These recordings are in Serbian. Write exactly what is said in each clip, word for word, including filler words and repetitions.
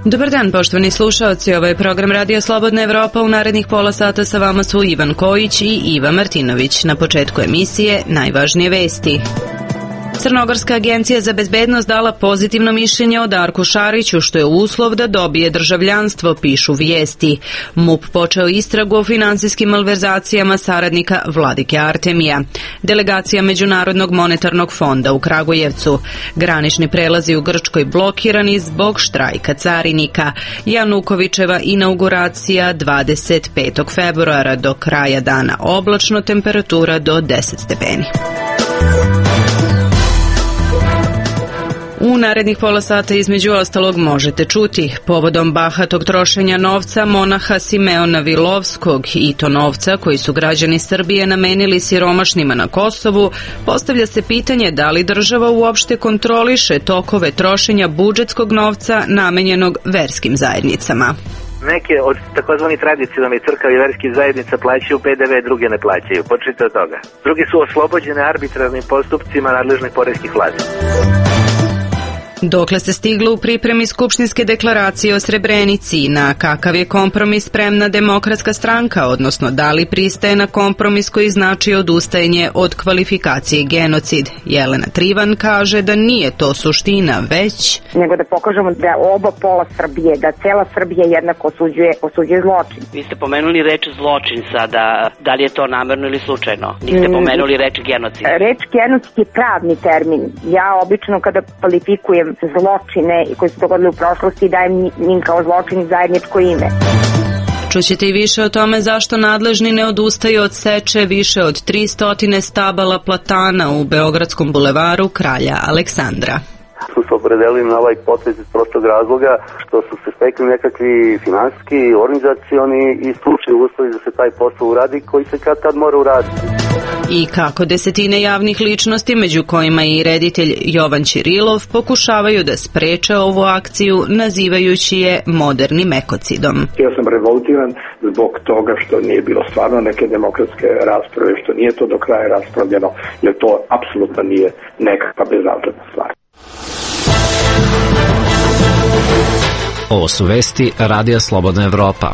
Dobar dan, poštovani slušaoci. Ovo je program Radio Slobodna Evropa. U narednih pola sata sa vama su Ivan Kojić i Iva Martinović. Na početku emisije najvažnije vesti. Crnogorska agencija za bezbednost dala pozitivno mišljenje o Darku Šariću, što je uslov da dobije državljanstvo, pišu vijesti. MUP počeo istragu o finansijskim malverzacijama saradnika Vladike Artemija. Delegacija Međunarodnog monetarnog fonda u Kragujevcu. Granični prelazi u Grčkoj blokirani zbog štrajka carinika. Janukovićeva inauguracija dvadeset petog februara, do kraja dana oblačno, temperatura do deset stepeni. U narednih pola sata između ostalog možete čuti: povodom bahatog trošenja novca monaha Simeona Vilovskog i to novca koji su građani Srbije namenili siromašnima na Kosovu, postavlja se pitanje da li država uopšte kontroliše tokove trošenja budžetskog novca namenjenog verskim zajednicama. Neke od takozvani tradicionalnih crkava i verskih zajednica plaćaju P D V, druge ne plaćaju. Počnite od toga. Drugi su oslobođene arbitrarnim postupcima nadležnih poreskih vlasti. Dokle se stiglo u pripremi Skupštinske deklaracije o Srebrenici, na kakav je kompromis spremna Demokratska stranka, odnosno da li pristaje na kompromis koji znači odustajanje od kvalifikacije genocid? Jelena Trivan kaže da nije to suština, već nego da pokažemo da oba pola Srbije, da cela Srbija jednako osuđuje, osuđuje zločin. Vi ste pomenuli reč zločin sada, da li je to namerno ili slučajno? Niste pomenuli reč genocid. Reč genocid je pravni termin. Ja obično kada kvalifikujem zločine koji su dogodili u prošlosti dajem njim kao zločin zajedničko ime. Čućete i više o tome zašto nadležni ne odustaju od seče više od tristo stabala platana u Beogradskom bulevaru Kralja Aleksandra. Su se opredelili na ovaj potez iz prostog razloga što su se stekli nekakvi finansijski, organizacioni i stručni uslovi da se taj posao uradi koji se kad tad mora uraditi. I kako desetine javnih ličnosti, među kojima i reditelj Jovan Ćirilov, pokušavaju da spreče ovu akciju nazivajući je modernim ekocidom. Ja sam revoltiran zbog toga što nije bilo stvarno neke demokratske rasprave, što nije to do kraja raspravljeno, jer to apsolutno nije nekakva bezazledna stvar. Ovo su vesti Radija Slobodna Evropa.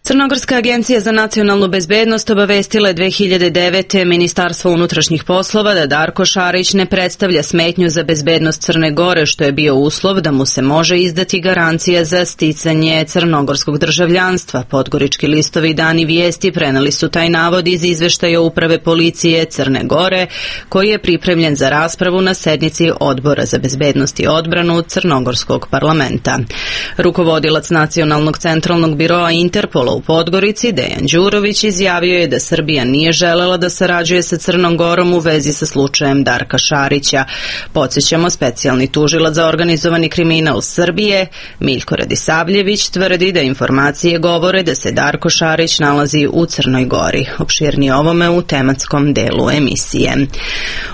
Crnogorska agencija za nacionalnu bezbednost obavestila je dve hiljade devete. Ministarstvo unutrašnjih poslova da Darko Šarić ne predstavlja smetnju za bezbednost Crne Gore, što je bio uslov da mu se može izdati garancija za sticanje crnogorskog državljanstva. Podgorički listovi Dani vijesti preneli su taj navod iz izveštaja Uprave policije Crne Gore, koji je pripremljen za raspravu na sednici Odbora za bezbednost i odbranu Crnogorskog parlamenta. Rukovodilac Nacionalnog centralnog biroa Interpola u Podgorici, Dejan Đurović, izjavio je da Srbija nije želela da sarađuje sa Crnom Gorom u vezi sa slučajem Darka Šarića. Podsjećamo, specijalni tužilac za organizovani kriminal Srbije, Miljko Radisavljević, tvrdi da informacije govore da se Darko Šarić nalazi u Crnoj Gori. Opširnije ovome u tematskom delu emisije.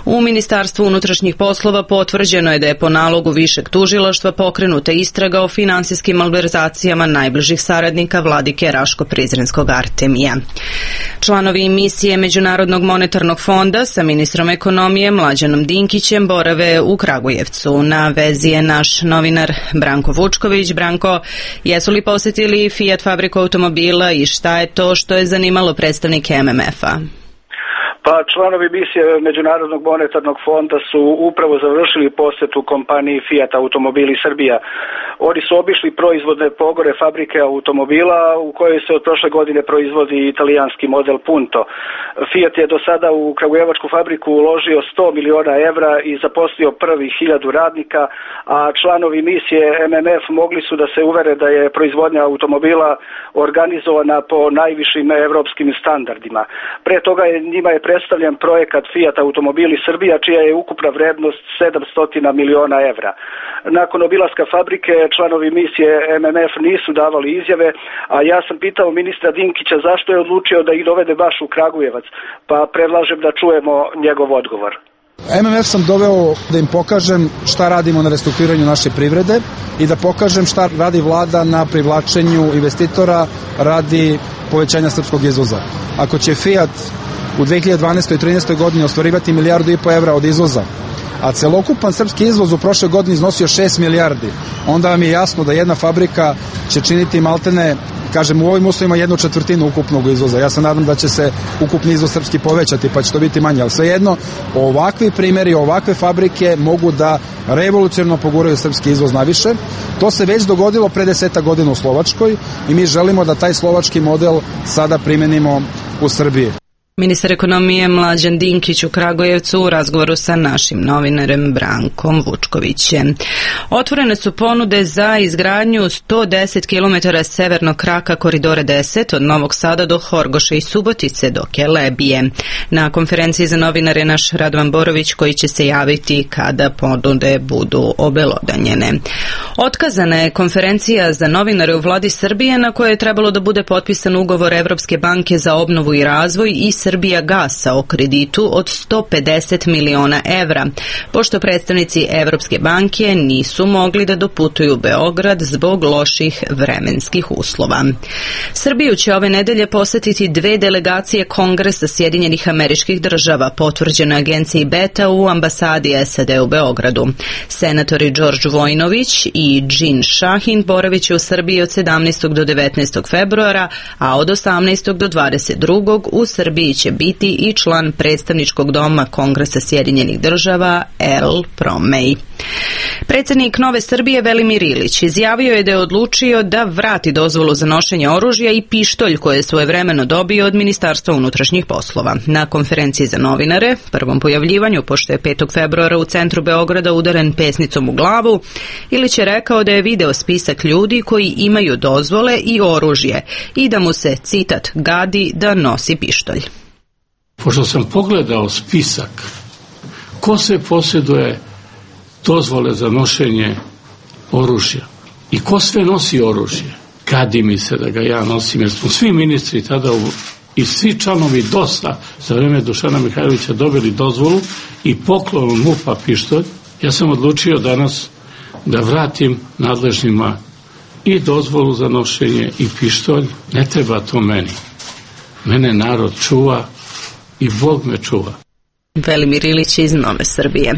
U Ministarstvu unutrašnjih poslova potvrđeno je da je po nalogu višeg tužilaštva pokrenuta istraga o finansijskim malverzacijama najbližih saradnika Vladike Raško-Prizrenskog Artemija. Članovi misije Međunarodnog monetarnog fonda sa ministrom ekonomije Mlađanom Dinkićem borave u Kragujevcu. Na vezi je naš novinar Branko Vučković. Branko, jesu li posjetili Fiat fabriku automobila i šta je to što je zanimalo predstavnike M M F-a? Pa članovi misije Međunarodnog monetarnog fonda su upravo završili posjetu kompaniji Fiat Automobili Srbija. Oni su obišli proizvodne pogore fabrike automobila u kojoj se od prošle godine proizvodi italijanski model Punto. Fiat je do sada u kragujevačku fabriku uložio sto miliona evra i zaposlio prvih hiljadu radnika, a članovi misije M M F mogli su da se uvere da je proizvodnja automobila organizovana po najvišim evropskim standardima. Pre toga je njima je predstavljen projekat Fiat Automobili Srbija, čija je ukupna vrednost sedamsto miliona evra. Nakon obilaska fabrike članovi misije M M F nisu davali izjave, a ja sam pitao ministra Dinkića zašto je odlučio da ih dovede baš u Kragujevac, pa predlažem da čujemo njegov odgovor. M M F sam doveo da im pokažem šta radimo na restrukturiranju naše privrede i da pokažem šta radi vlada na privlačenju investitora radi povećanja srpskog izvoza. Ako će Fiat u dve hiljade dvanaestoj i trinaestoj godini ostvarivati milijardu i po evra od izvoza, a celokupan srpski izvoz u prošle godini iznosio šest milijardi, onda vam je jasno da jedna fabrika će činiti maltene, kažem, u ovim uslovima jednu četvrtinu ukupnog izvoza. Ja se nadam da će se ukupni izvoz srpski povećati, pa će to biti manje, ali svejedno, ovakvi primjeri, ovakve fabrike mogu da revolucionarno poguraju srpski izvoz naviše. To se već dogodilo pre deseta godina u Slovačkoj i mi želimo da taj slovački model sada primenimo u Srbiji. Ministar ekonomije Mlađan Dinkić u Kragujevcu u razgovoru sa našim novinarem Brankom Vučkovićem. Otvorene su ponude za izgradnju sto deset kilometara severnog kraka koridora deset od Novog Sada do Horgoša i Subotice do Kelebije. Na konferenciji za novinare naš Radovan Borović koji će se javiti kada ponude budu obelodanjene. Otkazana je konferencija za novinare u vladi Srbije na kojoj je trebalo da bude potpisan ugovor Evropske banke za obnovu i razvoj i Srbija gasa o kreditu od sto pedeset miliona evra, pošto predstavnici Evropske banke nisu mogli da doputuju u Beograd zbog loših vremenskih uslova. Srbiju će ove nedelje posetiti dve delegacije Kongresa Sjedinjenih Američkih Država, potvrđene agenciji Beta u ambasadi S A D u Beogradu. Senatori Đorđ Vojnović i Džin Šahin boravit će u Srbiji od sedamnaestog do devetnaestog februara, a od osamnaestog do dvadeset drugog u Srbiji će biti i član predstavničkog doma Kongresa Sjedinjenih Država El Promej. Predsjednik Nove Srbije Velimir Ilić izjavio je da je odlučio da vrati dozvolu za nošenje oružja i pištolj koje je svojevremeno dobio od Ministarstva unutrašnjih poslova. Na konferenciji za novinare, prvom pojavljivanju, pošto je petog februara u centru Beograda udaren pesnicom u glavu, Ilić je rekao da je video spisak ljudi koji imaju dozvole i oružje i da mu se, citat, gadi da nosi pištolj. Pošto sam pogledao spisak ko se posjeduje dozvole za nošenje oružja i ko sve nosi oružje, gadi mi se da ga ja nosim, jer smo svi ministri tada u, i svi članovi D O S-a za vreme Dušana Mihajlovića dobili dozvolu i poklon M U P-a pištolj. Ja sam odlučio danas da vratim nadležnima i dozvolu za nošenje i pištolj. Ne treba to meni. Mene narod čuva i Bog me čuva. Velimir Ilić iz Nove Srbije.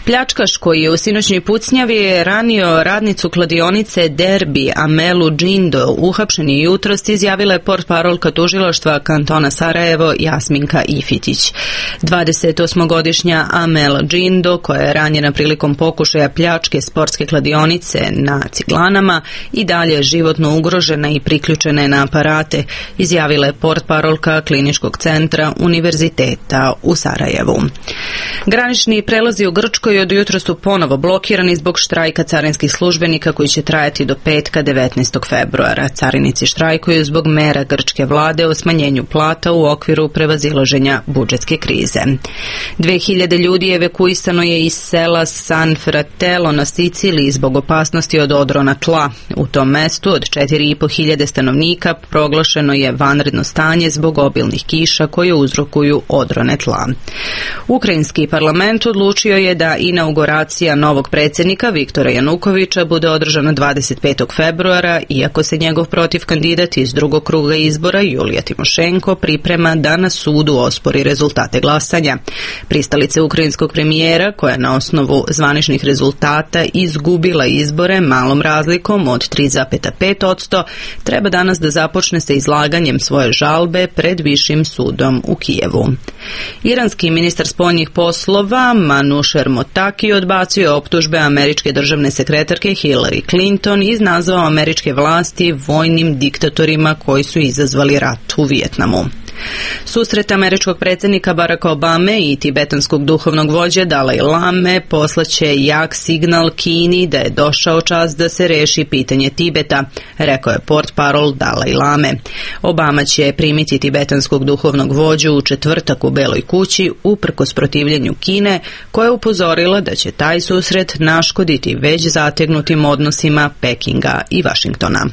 Pljačkaš koji je u sinoćnoj pucnjavi je ranio radnicu kladionice Derbi Amelu Džindo, uhapšen je jutros, izjavila je portparolka tužilaštva kantona Sarajevo Jasminka Ifitić. dvadesetosmogodišnja Amela Džindo, koja je ranjena prilikom pokušaja pljačke sportske kladionice na Ciglanama, i dalje je životno ugrožena i priključena je na aparate, izjavila je portparolka Kliničkog centra Univerziteta u Sarajevu. Granični prelazi u Grčkoj od jutra su ponovo blokirani zbog štrajka carinskih službenika koji će trajati do petka devetnaestog februara. Carinici štrajkuju zbog mera grčke vlade o smanjenju plata u okviru prevazilaženja budžetske krize. Dve hiljade ljudi evakuisano je iz sela San Fratello na Siciliji zbog opasnosti od odrona tla. U tom mestu od četiri i po hiljade stanovnika proglašeno je vanredno stanje zbog obilnih kiša koje uzrokuju odrone tla. Ukrajinski parlament odlučio je da inauguracija novog predsjednika Viktora Janukovića bude održana dvadeset petog februara, iako se njegov protiv kandidat iz drugog kruga izbora Julija Timošenko priprema da na sudu ospori rezultate glasanja. Pristalice ukrajinskog premijera, koja je na osnovu zvaničnih rezultata izgubila izbore malom razlikom od tri zarez pet posto, treba danas da započne sa izlaganjem svoje žalbe pred višim sudom u Kijevu. Iranski ministar spoljnih poslova Manusher Motaki odbacio je optužbe američke državne sekretarke Hillary Clinton i nazvao američke vlasti vojnim diktatorima koji su izazvali rat u Vijetnamu. Susret američkog predsjednika Baracka Obame i tibetanskog duhovnog vođe Dalaj Lame poslaće jak signal Kini da je došao čas da se reši pitanje Tibeta, rekao je portparol Dalaj Lame. Obama će primiti tibetanskog duhovnog vođu u četvrtak u Beloj kući uprkos protivljenju Kine, koja je upozorila da će taj susret naškoditi već zategnutim odnosima Pekinga i Vašingtona.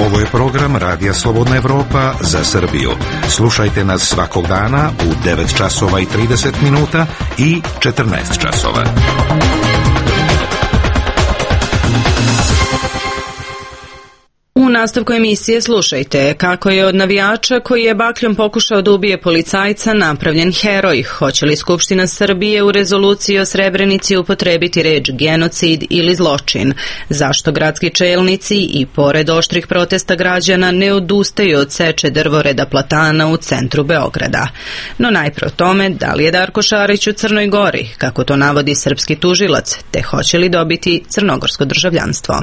Ovo je program Radija Slobodna Evropa za Srbiju. Slušajte nas svakog dana u devet časova i trideset minuta i četrnaest časova. U nastavku emisije slušajte kako je od navijača koji je bakljom pokušao da ubije policajca napravljen heroj. Hoće li Skupština Srbije u rezoluciji o Srebrenici upotrebiti reč genocid ili zločin? Zašto gradski čelnici i pored oštrih protesta građana ne odustaju od seče drvoreda platana u centru Beograda? No najpre o tome da li je Darko Šarić u Crnoj Gori, kako to navodi srpski tužilac, te hoće li dobiti crnogorsko državljanstvo.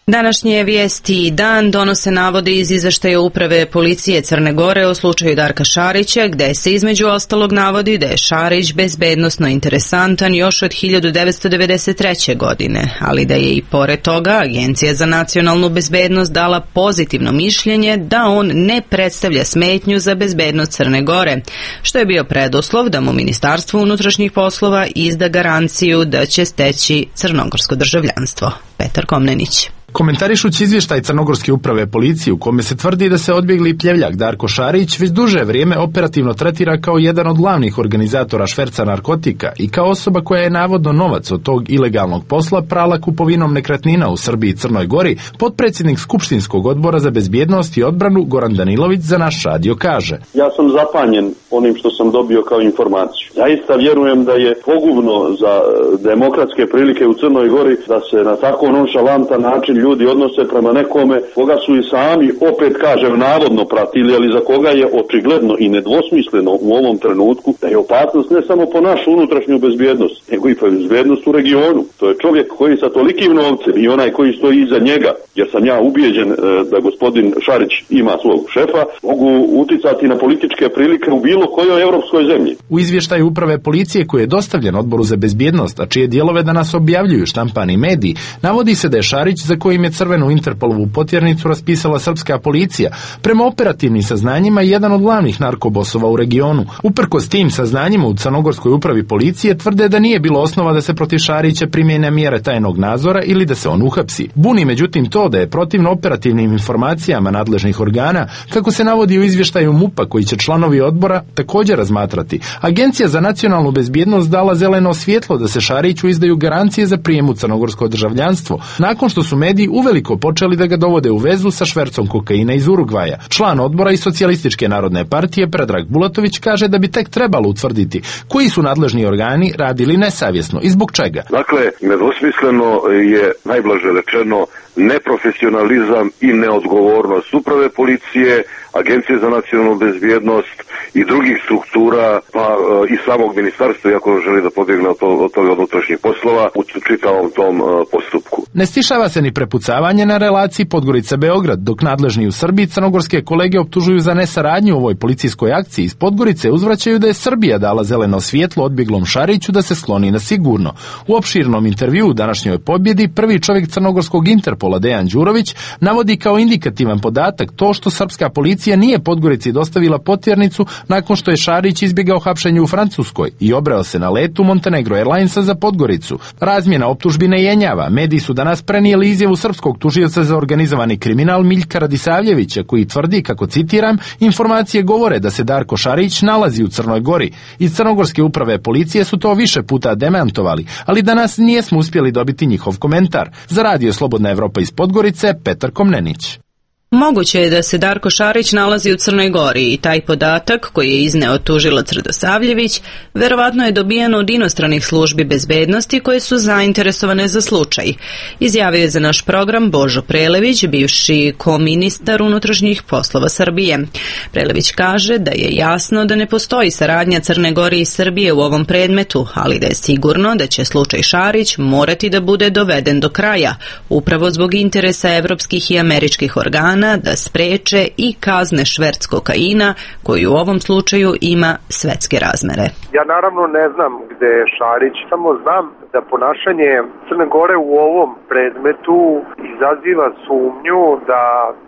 Današnje vijesti i dan donose navode iz izveštaja Uprave policije Crne Gore o slučaju Darka Šarića, gde se između ostalog navodi da je Šarić bezbednosno interesantan još od hiljadu devetsto devedeset treće. godine, ali da je i pored toga Agencija za nacionalnu bezbednost dala pozitivno mišljenje da on ne predstavlja smetnju za bezbednost Crne Gore, što je bio preduslov da mu Ministarstvo unutrašnjih poslova izda garanciju da će steći crnogorsko državljanstvo. Petar Komnenić. Komentarišući izvještaj Crnogorske uprave policije u kome se tvrdi da se odbjegli pljevljak Darko Šarić već duže vrijeme operativno tretira kao jedan od glavnih organizatora šverca narkotika i kao osoba koja je navodno novac od tog ilegalnog posla prala kupovinom nekretnina u Srbiji i Crnoj Gori, potpredsjednik Skupštinskog odbora za bezbjednost i odbranu Goran Danilović za naš radio kaže: Ja sam zapanjen onim što sam dobio kao informaciju. Zaista vjerujem da je pogubno za demokratske prilike u Crnoj Gori da se na tako nonšalantan način ljudi odnose prema nekome koga su i sami, opet kažem, navodno pratili, ali za koga je očigledno i nedvosmisleno u ovom trenutku da je opasnost ne samo po našu unutrašnju bezbjednost, nego i po bezbjednost u regionu. To je čovjek koji sa tolikim novcem i onaj koji stoji iza njega, jer sam ja ubijeđen da gospodin Šarić ima svog šefa, mogu uticati na političke prilike u bilo kojoj europskoj zemlji. U izvještaju Uprave policije koji je dostavljen Odboru za bezbjednost, a čije dijelove danas objavljuju štampani mediji, navodi se da je Šarić, za kojim je crvenu Interpolovu potjernicu raspisala srpska policija, prema operativnim saznanjima jedan od glavnih narkobosova u regionu. Uprkos tim saznanjima u Crnogorskoj upravi policije tvrde da nije bilo osnova da se protiv Šarića primjene mjere tajnog nadzora ili da se on uhapsi. Buni međutim to da je protivno operativnim informacijama nadležnih organa, kako se navodi u izvještaju MUP-a koji će članovi odbora također razmatrati. Agencija za nacionalnu bezbjednost dala zeleno svjetlo da se Šariću izdaju garancije za prijem u crnogorsko državljanstvo, nakon što su mediji uveliko počeli da ga dovode u vezu sa švercom kokaina iz Urugvaja. Član odbora iz Socijalističke narodne partije Predrag Bulatović kaže da bi tek trebalo utvrditi koji su nadležni organi radili nesavjesno i zbog čega. Dakle, nedvosmisleno je, najblaže rečeno, neprofesionalizam i neodgovornost uprave policije, Agencije za nacionalnu bezbjednost i drugih struktura, pa i samog ministarstva, iako želi da pobjegne od, to, od toga unutrašnjih poslova u čitavom tom uh, postupku. Ne stišava se ni prepucavanje na relaciji Podgorica-Beograd, dok nadležni u Srbiji crnogorske kolege optužuju za nesaradnju u ovoj policijskoj akciji. Iz Podgorice uzvraćaju da je Srbija dala zeleno svjetlo odbjeglom Šariću da se skloni na sigurno. U opširnom intervjuu u današnjoj pobjedi prvi čovjek crnogorskog Interpola Dejan Đurović navodi kao indikativan podatak to što srpska policija nije Podgorici dostavila potjernicu nakon što je Šarić izbjegao hapšenje u Francuskoj i obreo se na letu Montenegro Airlinesa za Podgoricu. Razmjena optužbi ne jenjava. Mediji su danas prenijeli izjavu srpskog tužioca za organizovani kriminal Miljka Radisavljevića koji tvrdi, kako citiram, informacije govore da se Darko Šarić nalazi u Crnoj Gori. Iz Crnogorske uprave policije su to više puta demantovali, ali danas nijesmo uspjeli dobiti njihov komentar. Za Radio Slobodna Evropa iz Podgorice, Petar Komnenić. Moguće je da se Darko Šarić nalazi u Crnoj Gori i taj podatak koji je izneo tužilac Radosavljević verovatno je dobijan od inostranih službi bezbednosti koje su zainteresovane za slučaj. Izjavio je za naš program Božo Prelević, bivši koministar unutrašnjih poslova Srbije. Prelević kaže da je jasno da ne postoji saradnja Crne Gore i Srbije u ovom predmetu, ali da je sigurno da će slučaj Šarić morati da bude doveden do kraja, upravo zbog interesa evropskih i američkih organa da spreče i kazne šverc kokaina koji u ovom slučaju ima svetske razmere. Ja naravno ne znam gde je Šarić, samo znam da ponašanje Crne Gore u ovom predmetu izaziva sumnju da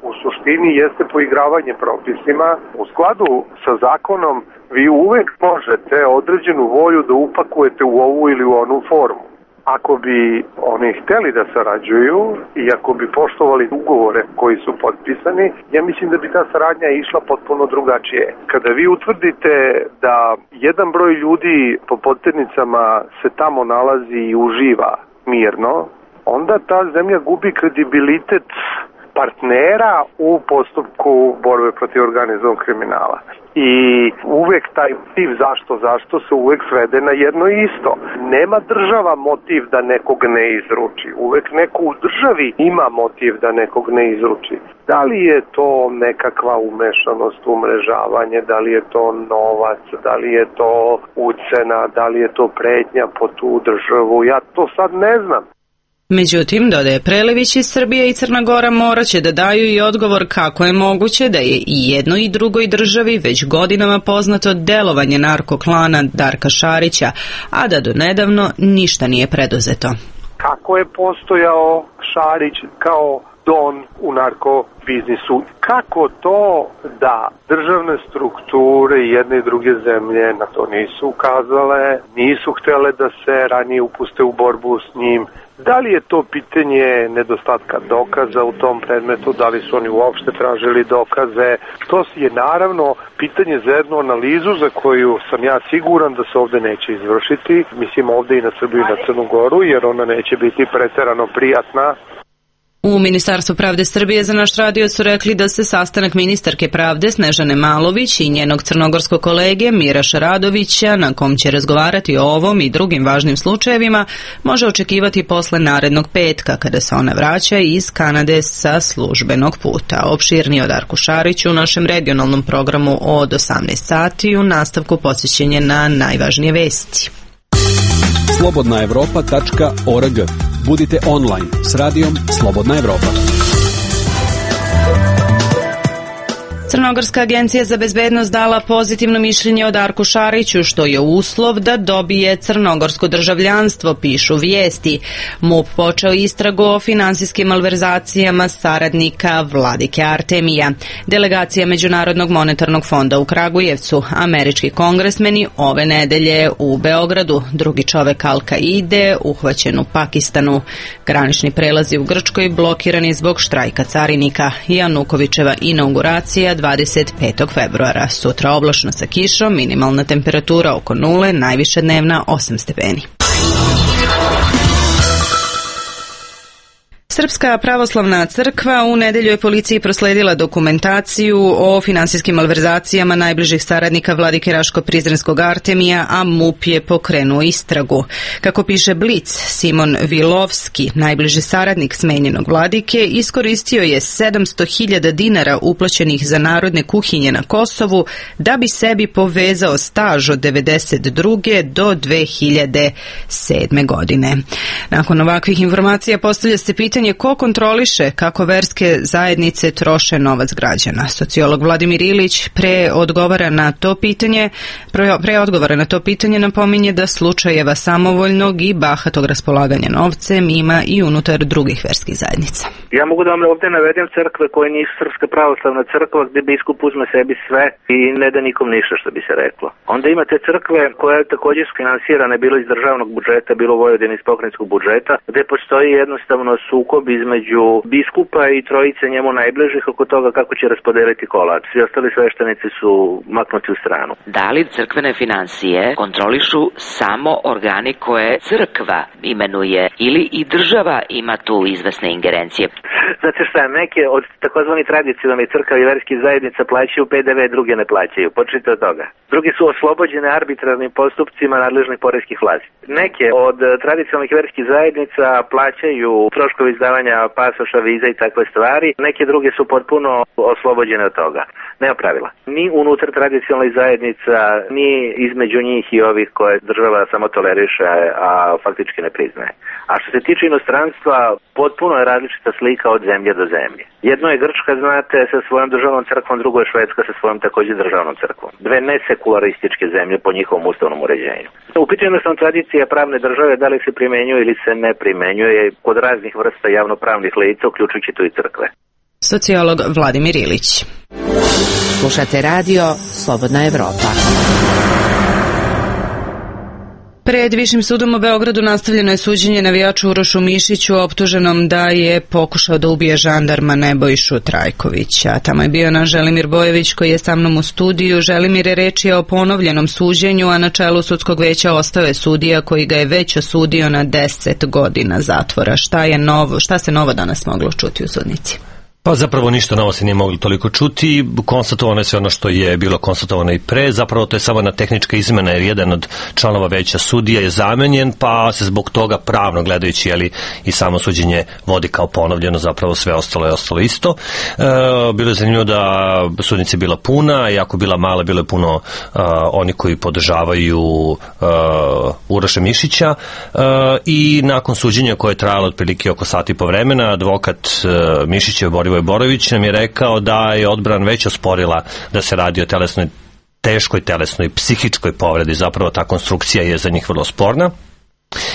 u suštini jeste poigravanje propisima. U skladu sa zakonom vi uvek možete određenu volju da upakujete u ovu ili u onu formu. Ako bi oni hteli da sarađuju i ako bi poštovali ugovore koji su potpisani, ja mislim da bi ta saradnja išla potpuno drugačije. Kada vi utvrdite da jedan broj ljudi po potjernicama se tamo nalazi i uživa mirno, onda ta zemlja gubi kredibilitet partnera u postupku borbe protiv organizovanog kriminala. I uvek taj motiv zašto, zašto se uvek svede na jedno isto. Nema država motiv da nekog ne izruči. Uvek neko u državi ima motiv da nekog ne izruči. Da li je to nekakva umešanost, umrežavanje, da li je to novac, da li je to ucena, da li je to pretnja po tu državu, ja to sad ne znam. Međutim, dodaje Prelević, iz Srbije i Crna Gora morat će da daju i odgovor kako je moguće da je i jednoj i drugoj državi već godinama poznato delovanje narkoklana Darka Šarića, a da do nedavno ništa nije preduzeto. Kako je postojao Šarić kao don u narkobiznisu? Kako to da državne strukture jedne i druge zemlje na to nisu ukazale, nisu htjele da se ranije upuste u borbu s njim? Da li je to pitanje nedostatka dokaza u tom predmetu, da li su oni uopšte tražili dokaze? To je naravno pitanje za jednu analizu za koju sam ja siguran da se ovde neće izvršiti. Mislim ovde i na Srbiju i na Crnu Goru, jer ona neće biti preterano prijatna. U Ministarstvu pravde Srbije za naš radio su rekli da se sastanak ministarke pravde Snežane Malović i njenog crnogorskog kolege Mira Šaradovića, na kom će razgovarati o ovom i drugim važnim slučajevima, može očekivati posle narednog petka, kada se ona vraća iz Kanade sa službenog puta. Opširnije o Darku Šariću u našem regionalnom programu od osamnaest sati, u nastavku podsjećenje na najvažnije vesti. slobodna evropa tačka org. Budite online s radijom Slobodna Evropa. Crnogorska agencija za bezbednost dala pozitivno mišljenje o Darku Šariću, što je uslov da dobije crnogorsko državljanstvo, pišu vijesti. MUP počeo istragu o finansijskim malverzacijama saradnika Vladike Artemija. Delegacija Međunarodnog monetarnog fonda u Kragujevcu, američki kongresmeni ove nedelje u Beogradu, drugi čovek Al-Kaide uhvaćen u Pakistanu. Granični prelazi u Grčkoj blokirani zbog štrajka carinika. Janukovićeva inauguracija dvadeset petog februara. Sutra oblačno sa kišom, minimalna temperatura oko nule, najviša dnevna osam stepeni. Srpska pravoslavna crkva u nedelju je policiji prosledila dokumentaciju o finansijskim malverzacijama najbližih saradnika Vladike Raško-Prizrenskog Artemija, a MUP je pokrenuo istragu. Kako piše Blic, Simon Vilovski, najbliži saradnik smenjenog Vladike, iskoristio je sedamsto hiljada dinara uplaćenih za narodne kuhinje na Kosovu da bi sebi povezao staž od devedeset druge do dve hiljade sedme godine. Nakon ovakvih informacija postavlja se pitanje ko kontroliše kako verske zajednice troše novac građana. Sociolog Vladimir Ilić pre odgovara na to pitanje, pre, pre odgovara na to pitanje napominje da slučajeva samovoljnog i bahatog raspolaganja novcem ima i unutar drugih verskih zajednica. Ja mogu da vam ovdje navedem crkve koje nisu Srpska pravoslavna crkva, gdje biskup uzme sebi sve i ne da nikom ništa, što bi se reklo. Onda imate crkve koje također su finansirane bilo iz državnog budžeta, bilo Vojvodine iz pokrajinskog budžeta, gdje postoji jednostavno sukob između biskupa i trojice njemu najbližih oko toga kako će raspodeliti kolač. Svi ostali sveštenici su maknuti u stranu. Da li crkvene financije kontrolišu samo organi koje crkva imenuje ili i država ima tu izvesne ingerencije? Znate šta, neke od takozvani tradicionalnih crkava i verskih zajednica plaćaju P D V, druge ne plaćaju. Počnite od toga. Drugi su oslobođene arbitrarnim postupcima nadležnih poreskih vlasti. Neke od tradicionalnih verskih zajednica plaćaju troškovi izdavanja pasoša, viza i takve stvari. Neke druge su potpuno oslobođene od toga. Nema pravila. Ni unutar tradicionalnih zajednica, ni između njih i ovih koje država samo toleriše, a faktički ne priznaje. A što se tiče inostranstva, potpuno je različita slika od zemlje do zemlje. Jedno je Grčka, znate, sa svojom državnom crkvom, drugo je Švedska sa svojom također državnom crkvom. Dve nesekularističke zemlje po njihovom ustavnom uređenju. U pitanju jednostavno tradicija pravne države, da li se primenjuje ili se ne primenjuje kod raznih vrsta javnopravnih lica, uključujući tu i crkve. Sociolog Vladimir Ilić. Slušate radio Slobodna Evropa. Pred Višim sudom u Beogradu nastavljeno je suđenje navijaču Urošu Mišiću, optuženom da je pokušao da ubije žandarma Nebojšu Trajkovića. Tamo je bio naš Želimir Bojević koji je sa mnom u studiju. Želimir, je reč je o ponovljenom suđenju, a na čelu sudskog veća ostao je sudija koji ga je već osudio na deset godina zatvora. Šta je novo, šta se novo danas moglo čuti u sudnici? Pa zapravo ništa novo se nije moglo toliko čuti, konstatovano je sve ono što je bilo konstatovano i pre, zapravo to je samo jedna tehnička izmena jer jedan od članova veća sudija je zamenjen, pa se zbog toga pravno gledajući jeli, i samo suđenje vodi kao ponovljeno, zapravo sve ostalo je ostalo isto. E, bilo je zanimljivo da sudnica je bila puna, iako bila mala, bilo je puno uh, oni koji podržavaju uh, Uroša Mišića uh, i nakon suđenja koje je trajalo otprilike oko sati i po vremena, advokat uh, Mišića Borivoje Borović nam je rekao da je odbrana već osporila da se radi o telesnoj, teškoj telesnoj, psihičkoj povredi, zapravo ta konstrukcija je za njih vrlo sporna.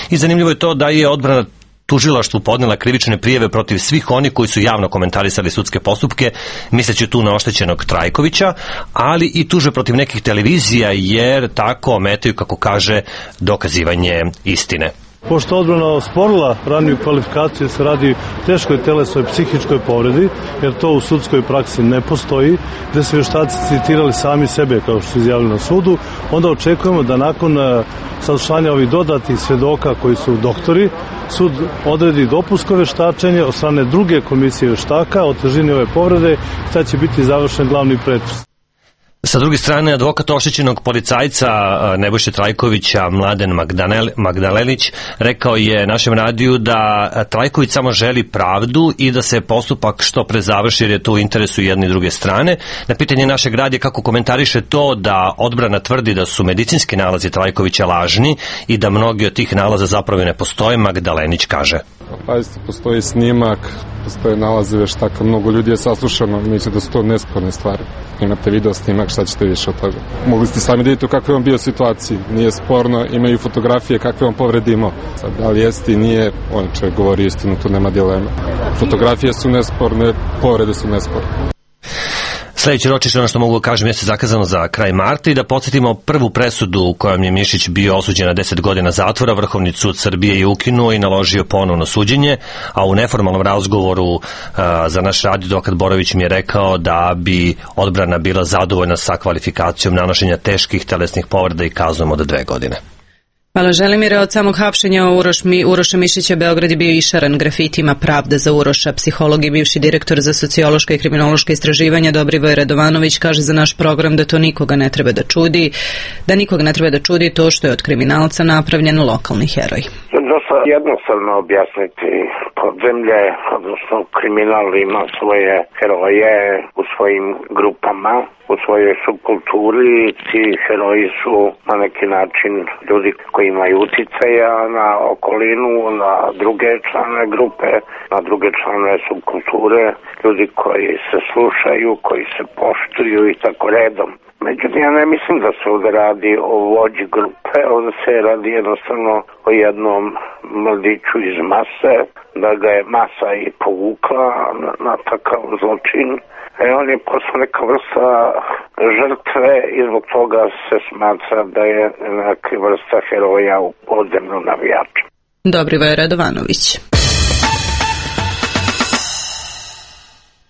I zanimljivo je to da je odbrana tužilaštvu podnela krivične prijave protiv svih oni koji su javno komentarisali sudske postupke, misleći tu na oštećenog Trajkovića, ali i tuže protiv nekih televizija jer tako ometaju, kako kaže, dokazivanje istine. Pošto odbrana osporila raniju kvalifikaciju se radi teškoj telesnoj psihičkoj povredi, jer to u sudskoj praksi ne postoji, gde su vještaci citirali sami sebe kao što su izjavili na sudu, onda očekujemo da nakon saslušanja ovih dodatnih svedoka koji su doktori, sud odredi dopunsko vještačenje od strane druge komisije vještaka o težini ove povrede, šta će biti završen glavni pretres. Sa druge strane, advokat oštećenog policajca Nebojše Trajkovića, Mladen Magdalenić, rekao je našem radiju da Trajković samo želi pravdu i da se postupak što pre završi jer je to u interesu jedne i druge strane. Na pitanje našeg radija kako komentariše to da odbrana tvrdi da su medicinski nalazi Trajkovića lažni i da mnogi od tih nalaza zapravo ne postoje, Magdalenić kaže. Pazite, postoji snimak, postoje nalaze veštaka, mnogo ljudi je saslušano, misle da su to nesporne stvari. Imate video snimak, šta ćete više od toga? Mogli ste sami da vidite u kakvoj on bio situaciji, nije sporno, imaju fotografije kakve on povrede imao. Sad, da li jeste i nije, on čovjek govori istinu, tu nema dilema. Fotografije su nesporne, povrede su nesporne. Sljedeće ročište, ono što mogu kažem, jeste zakazano za kraj marta i da podsjetimo prvu presudu u kojom je Mišić bio osuđen na deset godina zatvora. Vrhovni sud Srbije je ukinuo i naložio ponovno suđenje, a u neformalnom razgovoru uh, za naš radio advokat Borović mi je rekao da bi odbrana bila zadovoljna sa kvalifikacijom nanošenja teških telesnih povreda i kaznom od dve godine. Hvala Želimire. Od samog hapšenja Uroš, Mi, Uroša Mišića Beograd je bio išaran grafitima Pravda za Uroša. Psiholog i bivši direktor za sociološka i kriminološka istraživanja Dobrivoje Radovanović kaže za naš program da to nikoga ne treba da čudi, da nikoga ne treba da čudi to što je od kriminalca napravljen lokalni heroj. Dosta jednostavno objasniti. Podzemlje, odnosno kriminal ima svoje heroje u svojim grupama, u svojoj subkulturi. Ti heroji su na neki način ljudi koji imaju uticaja na okolinu, na druge članove grupe, na druge članove subkulture, ljudi koji se slušaju, koji se poštuju i tako redom. Međutim, ja ne mislim da se ovdje radi o vođi grupe, ovdje se radi jednostavno o jednom mladiću iz mase, da ga je masa i povukla na, na takav zločin. E on je postao neka vrsta žrtve i zbog toga se smatra da je neka vrsta heroja u podzemnom navijaču. Dobrivoje Radovanović.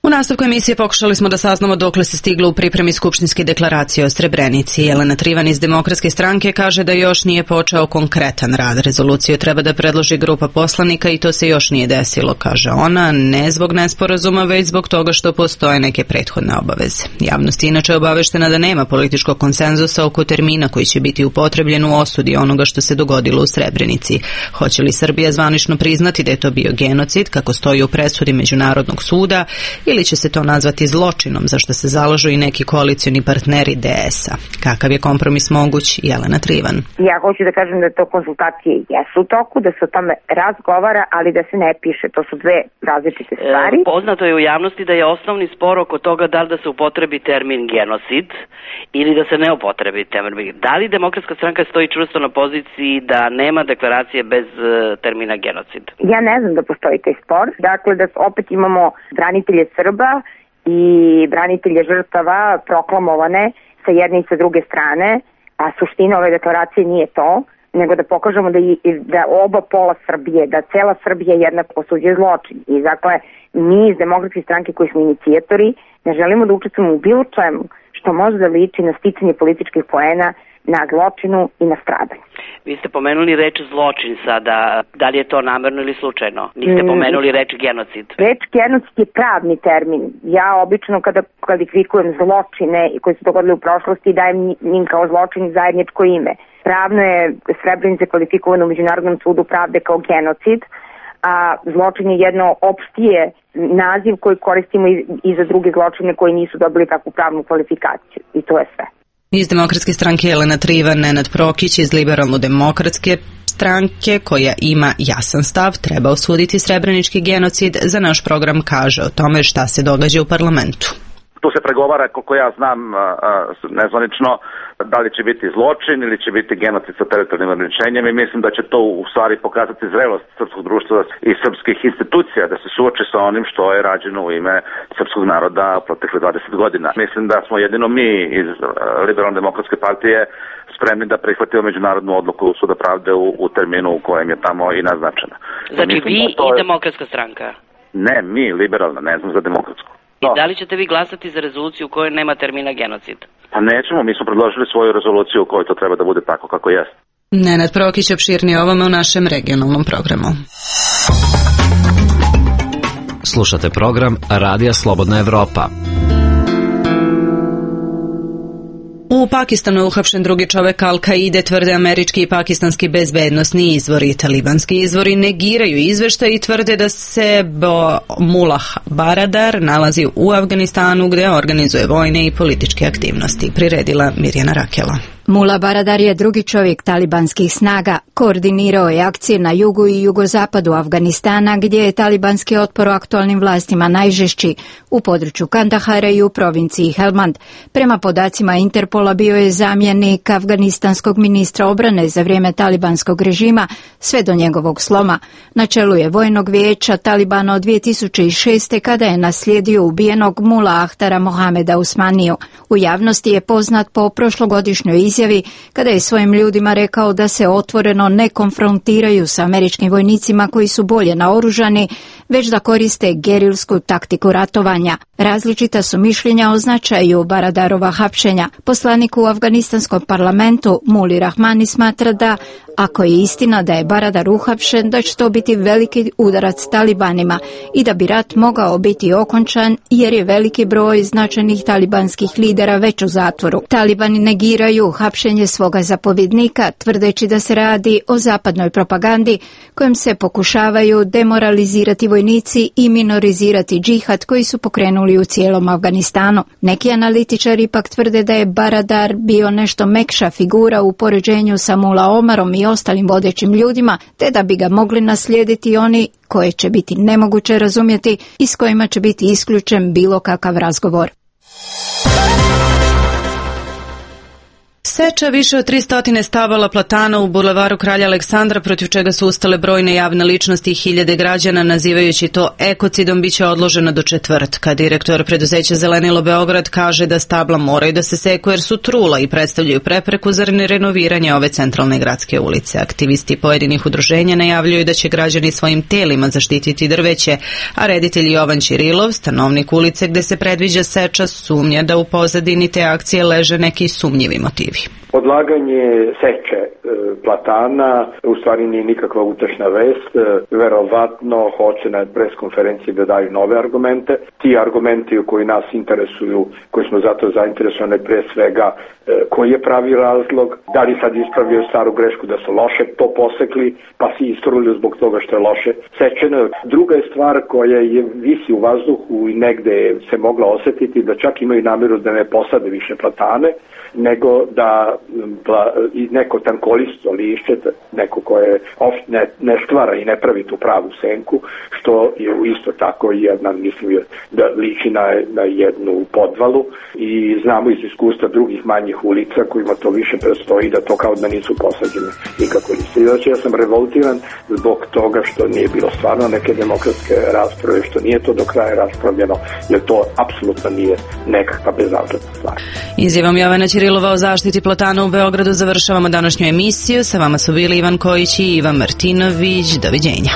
U nastavku emisije pokušali smo da saznamo dokle se stiglo u pripremi skupštinske deklaracije o Srebrenici. Jelena Trivan iz Demokratske stranke kaže da još nije počeo konkretan rad. Rezoluciju treba da predloži grupa poslanika i to se još nije desilo, kaže ona, ne zbog nesporazuma, već zbog toga što postoje neke prethodne obaveze. Javnost je inače obaveštena da nema političkog konsenzusa oko termina koji će biti upotrebljen u osudi onoga što se dogodilo u Srebrenici. Hoće li Srbija zvanično priznati da je to bio genocid, kako stoji u presudi Međunarodnog suda, ili će se to nazvati zločinom, za što se zalažu i neki koalicioni partneri D S-a. Kakav je kompromis moguć? Jelena Trivan. Ja hoću da kažem da to konsultacije jesu u toku, da se o tome razgovara, ali da se ne piše. To su dve različite stvari. E, poznato je u javnosti da je osnovni spor oko toga da li da se upotrebi termin genocid ili da se ne upotrebi termin. Da li Demokratska stranka stoji čvrsto na poziciji da nema deklaracije bez uh, termina genocid? Ja ne znam da postoji taj spor. Dakle, da opet imamo branitelje Srba i branitelje žrtava proklamovane sa jedne i sa druge strane, a suština ove deklaracije nije to. nego da pokažemo da, i, da oba pola Srbije, da cela Srbija jednako osuđuje zločin. I dakle, mi iz Demokratske stranke koji smo inicijatori ne želimo da učestvujemo u bilo čemu što može da liči na sticanje političkih poena, na zločinu i na stradanju. Vi ste pomenuli reč zločin sada, da li je to namerno ili slučajno? Niste pomenuli reč genocid. Reč genocid je pravni termin. Ja obično kada kvalifikujem zločine koji su dogodili u prošlosti dajem njim kao zločin zajedničko ime. Pravno je Srebrenica kvalifikovano u Međunarodnom sudu pravde kao genocid, a zločin je jedno opštije naziv koji koristimo i, i za druge zločine koji nisu dobili takvu pravnu kvalifikaciju. I to je sve. Iz Demokratske stranke Jelena Trivan, Nenad Prokić iz Liberalno-demokratske stranke koja ima jasan stav, treba osuditi srebrenički genocid, za naš program kaže o tome šta se događa u parlamentu. Tu se pregovara, koliko ja znam, nezvanično, da li će biti zločin ili će biti genocid sa teritorijalnim ograničenjem i mislim da će to u stvari pokazati zrelost srpskog društva i srpskih institucija da se suoči sa onim što je rađeno u ime srpskog naroda protekle dvadeset godina. Mislim da smo jedino mi iz Liberalno-demokratske partije spremni da prihvatimo međunarodnu odluku Suda pravde u, u terminu u kojem je tamo i naznačena. Znači mislim vi da i je... Demokratska stranka? Ne, mi, liberalna, ne znam za demokratsku. I da li ćete vi glasati za rezoluciju u kojoj nema termina genocid? Pa nećemo, mi smo predložili svoju rezoluciju u kojoj to treba da bude tako kako jeste. Nenad Prokić opširnije ovome u našem regionalnom programu. Slušate program Radija Slobodna Evropa. U Pakistanu je uhapšen drugi čovek Al-Kaide, tvrde američki i pakistanski bezbednosni izvori. Talibanski izvori negiraju izveštaj i tvrde da se Mullah Baradar nalazi u Afganistanu gde organizuje vojne i političke aktivnosti. Priredila Mirjana Rakela. Mullah Baradar je drugi čovjek talibanskih snaga. Koordinirao je akcije na jugu i jugozapadu Afganistana gdje je talibanski otpor u aktualnim vlastima najžešći, u području Kandahara i u provinciji Helmand. Prema podacima Interpola bio je zamjenik afganistanskog ministra obrane za vrijeme talibanskog režima sve do njegovog sloma. Na čelu je vojnog vijeća Talibana od dvije tisuće šeste. kada je naslijedio ubijenog Mula Ahtara Mohameda Usmaniju. U javnosti je poznat po prošlogodišnjoj izjavi kada je svojim ljudima rekao da se otvoreno ne konfrontiraju sa američkim vojnicima koji su bolje naoružani, već da koriste gerilsku taktiku ratovanja. Različita su mišljenja o značaju Baradarova hapšenja. Poslanik u afganistanskom parlamentu Muli Rahmani smatra da ako je istina da je Baradar uhapšen, da će to biti veliki udarac talibanima i da bi rat mogao biti okončan jer je veliki broj značajnih talibanskih lidera već u zatvoru. Talibani negiraju hapšenje svoga zapovjednika, tvrdeći da se radi o zapadnoj propagandi kojom se pokušavaju demoralizirati vojnici i minorizirati džihad koji su pokrenuli u cijelom Afganistanu. Neki analitičari ipak tvrde da je Baradar bio nešto mekša figura u poređenju sa Mula Omarom i ostalim vodećim ljudima, te da bi ga mogli naslijediti oni koje će biti nemoguće razumjeti i s kojima će biti isključen bilo kakav razgovor. Seča više od tristo stabala platana u bulevaru Kralja Aleksandra, protiv čega su ustale brojne javne ličnosti i hiljade građana, nazivajući to ekocidom, biće odloženo do četvrtka. Direktor preduzeća Zelenilo Beograd kaže da stabla moraju da se seku jer su trula i predstavljaju prepreku za renoviranje ove centralne gradske ulice. Aktivisti pojedinih udruženja najavljuju da će građani svojim telima zaštititi drveće, a reditelj Jovan Ćirilov, stanovnik ulice gde se predviđa seča, sumnja da u pozadini te akcije leže neki sumnjivi motivi. Odlaganje seče e, platana u stvari nije nikakva utešna vest, e, verovatno hoće na preskonferenciji da daju nove argumente. Ti argumenti koji nas interesuju, koji smo zato zainteresovani, pre svega e, koji je pravi razlog, da li sad ispravio staru grešku da su loše to posekli pa si istrulili zbog toga što je loše sečeno. Druga je stvar koja je visi u vazduhu i negde se mogla osetiti da čak imaju namjeru da ne posade više platane, nego da neko tankolisto lišće, neko koje ne, ne stvara i ne pravi tu pravu senku, što je isto tako jedna, mislim, da liči na, na jednu podvalu i znamo iz iskustva drugih manjih ulica kojima to više prestoji da to kao da nisu posađene nikako liste. Znači ja sam revoltiran zbog toga što nije bilo stvarno neke demokratske rasprave, što nije to do kraja raspravljeno, jer to apsolutno nije nekakva bezazletna stvar. Izjavom Jovana Ćirilova o zaštiti Plazi Platana u Beogradu završavamo današnju emisiju. Sa vama su bili Ivan Kojić i Ivan Martinović. Doviđenja.